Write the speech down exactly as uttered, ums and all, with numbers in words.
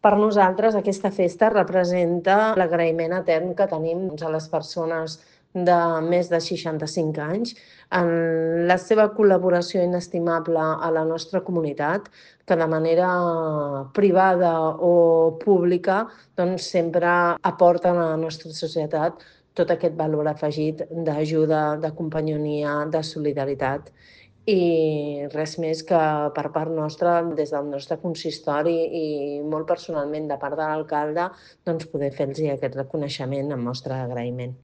Per nosaltres aquesta festa representa l'agraïment etern que tenim a les persones de més de seixanta-cinc anys en la seva col·laboració inestimable a la nostra comunitat, que de manera privada o pública doncs sempre aporten a la nostra societat tot aquest valor afegit d'ajuda, de companyonia, de solidaritat. I res més que per part nostra, des del nostre consistori i molt personalment de part de l'alcalde, doncs poder fer-los aquest reconeixement en mostra d'agraïment.